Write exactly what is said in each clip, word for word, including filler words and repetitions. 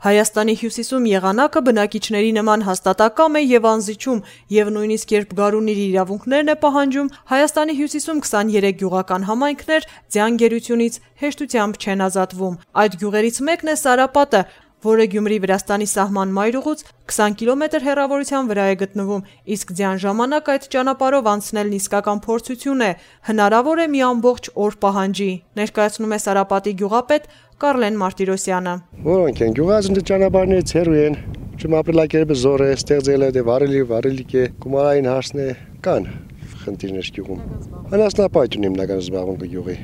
Հայաստանի հյուսիսում եղանակը բնակիչների նման հաստատակամ է եւ անզիջում, եւ նույնիսկ երբ գարունն իր իրավունքներն է պահանջում, Հայաստանի հյուսիսում քսաներեք գյուղական համայնքներ ձյան գերությունից հեշտությամբ չեն ազատվում։ Այդ գյուղերից մեկն է Սարապատը, որը Գյումրի-Վրաստանի սահման մայրուղուց քսան կիլոմետր հեռավորության վրա է գտնվում, իսկ ձյան ժամանակ այդ ճանապարհով անցնելն իսկական փորձություն է, հնարավոր է մի ամբողջ օր պահանջի, ներկայացնում է Սարապատի գյուղապետ Կարլեն Մարտիրոսյանը։ Որոնք են գյուղացիները ճանապարհներից հեռու են, ապրելակերպը զոր է, ստեղծել է, վարելի, վարելիք է, գումարային հարցն է, կան խնդիրներ գյուղում։ Անասնապահություն հիմնական զբաղմունքը գյուղի։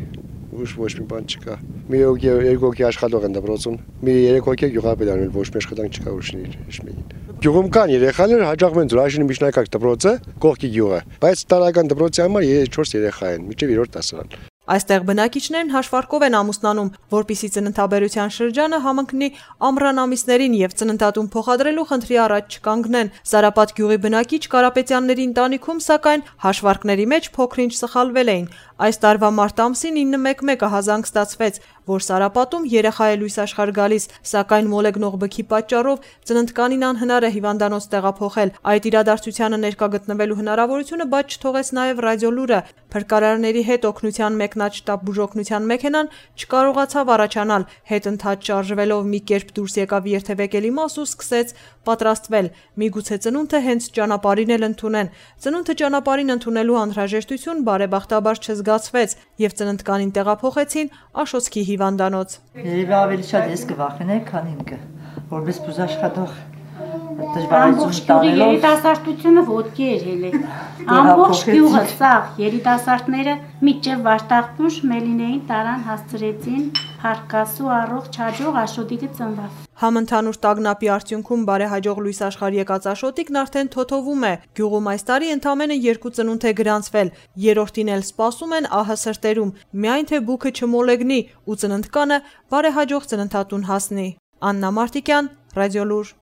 Ոչ ոչ մի բան չկա։ Մի երկու հոգի աշխատող են դպրոցում, մի երեք հոգի գյուղապետ անել, ոչ մի աշխատանք չկա ուրիշների հիշմեին։ Գյուղում կան երեխաներ, հաջողվում են Ջուրաշինի միջնակարգ դպրոցը, կողքի գյուղը, բայց տարական դպրոցի համար չորս երեխա են, մինչև երրորդ դասարան։ Այստեղ բնակիչներն հաշվարկով են ամուսնանում, որպիսի ծննդաբերության շրջանը համընկնի ամռան ամիսներին եւ ծննդատուն փոխադրելու խնդրի առաջ չկանգնեն։ Սարապատ գյուղի բնակիչ Կարապետյանների ընտանիքում, սակայն, հաշվարկների մեջ փոքր-ինչ սխալվել էին։ Այս տարվա մարտ ամսին ինը մեկ մեկ ահազանգ ստացվեց, որ Սարապատում երեխա է լույս աշխարհ գալիս, սակայն մոլեգնող բքի պատճառով ծննդկանին անհնար է հիվանդանոց տեղափոխել։ Այդ իրադարձությանը ներկա գտնվելու հնարավորությունը բաց չթողեց նաև ռադիոլուրը։ Փրկարարների հետ օգնության մեկնած շտաբ բուժօգնության մեքենան չկարողացավ առաջանալ, հետընթաց շարժվելով մի կերպ դուրս եկավ երթևեկելի մաս ու սկսեց պատրաստվել։ Միգուցե ծնունդը հենց ճանապարհին էլ ընդունեն։ Ծնունդը ճանապարհին ընդունելու անհրաժեշտություն բարեբախտաբար չզգացվեց եւ ծննդկանին տեղափոխեցին Աշոցքի հիվանդանոց։ Երևի ավելի շատ ես կվախենայի, քան ինքը, որպես բուժաշխատող Ամբողջ գյուղի երիտասարդությունը ոտքի էր ելել։ Ամբողջ գյուղը սաղ երիտասարդները միջև Վարդախտուշ Մելինեին տարան հասցրեցին Փարկասու առողջ հաջող Աշոտիկը ծնված։ Համընդհանուր տագնապի արդյունքում բարեհաջող լույս աշխարհ եկած Աշոտիկն արդեն թոթովում է։ Գյուղում այս տարի ընդամենը երկու ծնունդ է գրանցվել։ Երրորդին էլ սպասում են ահը սրտերում, միայն թե բուքը չմոլեգնի ու ծննդկանը բարեհաջող ծննդատուն հասնի։ Աննա Մարտիկյան, Ռադիոլուր։